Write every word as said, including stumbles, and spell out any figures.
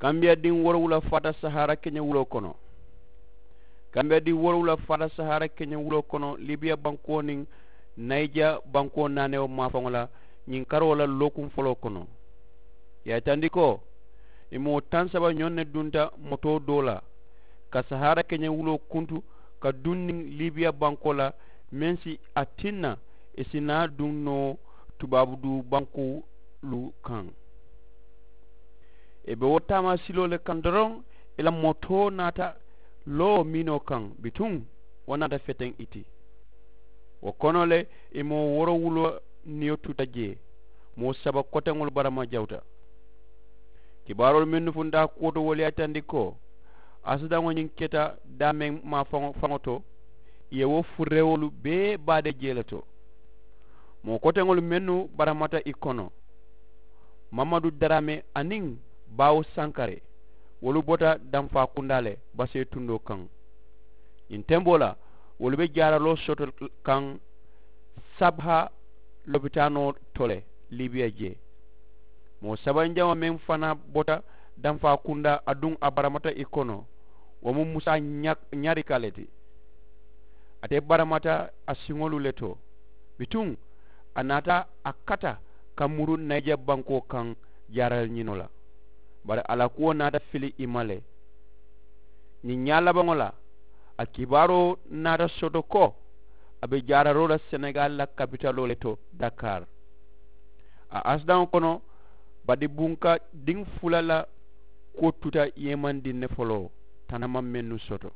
Kambiya diŋ woorowula faata sahaara keñewuloo kono. Kambiya diŋ woorowula faata sahaara keñewuloo kono libiya bankoo niŋ nayija bankoo naanewo maafaŋo la ñiŋ karoo la lookuŋ foloo kono. Ì ye a yitandi ko ì moo taŋ saba ñoŋ ne dunta motoo doo la ka sahaara keñewuloo kuntu ka duŋ niŋ libiya bankoo la meŋ si a tinna ì si naa duŋ noo tubaabu duu bankoolu kaŋ. Ì be wo taamaasiloo le kaŋ doroŋ ì la motoo naata loo miinoo kaŋ bituŋ wo naata feteŋ ì ti. Wo kono le ì moo woorowuloo niyo tuta jee moo saba koteŋolu barama jawuta. Kibaaroolu mennu funta kuwo to wolu ye a yitandi ko asidaŋo ñiŋ keta daameŋ maa faŋo to ì ye wo furewolu bee baade jee le to. Moo koteŋolu mennu baramata ì kono mamadu daraame aniŋ baawo sankare wolu bota danfaa kundaa le basee tundoo kaŋ. Ñiŋ temboo la wolu be jaaraloo soto kaŋ sabha lopitaanoo to le libiya jee. Moo sabanjaŋo meŋ fanaa bota danfaa kundaa aduŋ a baramata ì kono wo mu musa ñarika le ti. Ate baramata a siŋolu le to bituŋ a naata a kata ka muru nayija bankoo kaŋ jaarali ñinoo la. Bari a la kuwo naata fili ì ma le. Ñiŋ ñaa labaŋo la a kibaaroo naata soto ko a be jaararoo la senegaali la kapitaloo le to dakar. A asidaŋo kono badi bunka diŋ fula la kuwo tuta yeemandiŋ ne foloo tanama mennu soto.